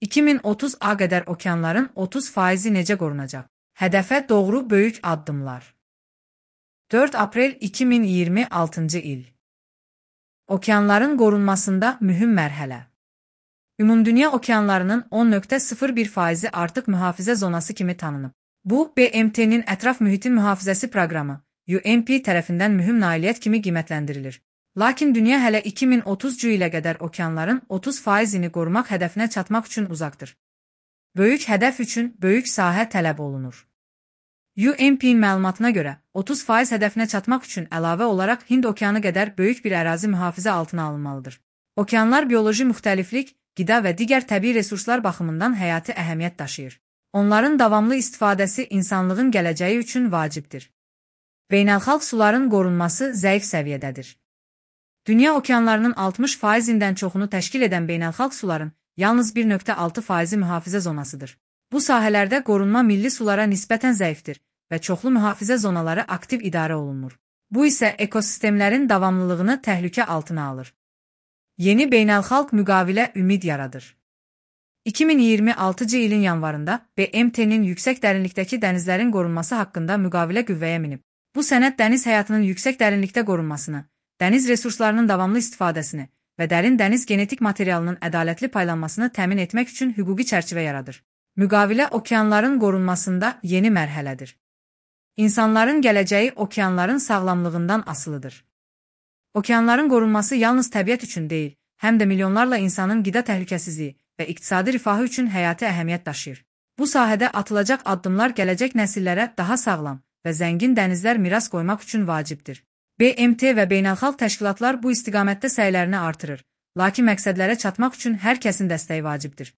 2030-a qədər okeanların 30% necə qorunacaq? Hədəfə doğru böyük addımlar. 4 aprel 2026-cı il. Okeanların qorunmasında mühüm mərhələ. Ümumdünya okeanlarının 10,01% artıq mühafizə zonası kimi tanınıb. Bu, BMT-nin Ətraf Mühitin Mühafizəsi Proqramı, UNEP tərəfindən mühüm nailiyyət kimi qiymətləndirilir. Lakin dünya hələ 2030-cu ilə qədər okeanların 30%-ni qorumaq hədəfinə çatmaq üçün uzaqdır. Böyük hədəf üçün böyük sahə tələb olunur. UNEP-in məlumatına görə, 30% hədəfinə çatmaq üçün əlavə olaraq Hind okeanı qədər böyük bir ərazi mühafizə altına alınmalıdır. Okeanlar bioloji müxtəliflik, qida və digər təbii resurslar baxımından həyati əhəmiyyət daşıyır. Onların davamlı istifadəsi insanlığın gələcəyi üçün vacibdir. Beynəlxalq suların qorunması zəif səviyyədədir. Dünya okeanlarının 60%-dən çoxunu təşkil edən beynəlxalq suların yalnız 1,6%-i mühafizə zonasıdır. Bu sahələrdə qorunma milli sulara nisbətən zəifdir və çoxlu mühafizə zonaları aktiv idarə olunmur. Bu isə ekosistemlərin davamlılığını təhlükə altına alır. Yeni beynəlxalq müqavilə ümid yaradır. 2026-cı ilin yanvarında BMT-nin yüksək dərinlikdəki dənizlərin qorunması haqqında müqavilə qüvvəyə minib. Bu sənəd dəniz həyatının yüksək dərinlikdə qorunmasını, dəniz resurslarının davamlı istifadəsini və dərin dəniz genetik materialının ədalətli paylanmasını təmin etmək üçün hüquqi çərçivə yaradır. Müqavilə okeanların qorunmasında yeni mərhələdir. İnsanların gələcəyi okeanların sağlamlığından asılıdır. Okeanların qorunması yalnız təbiət üçün deyil, həm də milyonlarla insanın qida təhlükəsizliyi və iqtisadi rifahı üçün həyati əhəmiyyət daşıyır. Bu sahədə atılacaq addımlar gələcək nəsillərə daha sağlam və zəngin dənizlər miras qoymaq üçün vacibdir. BMT və beynəlxalq təşkilatlar bu istiqamətdə səylərini artırır, lakin məqsədlərə çatmaq üçün hər kəsin dəstəyi vacibdir.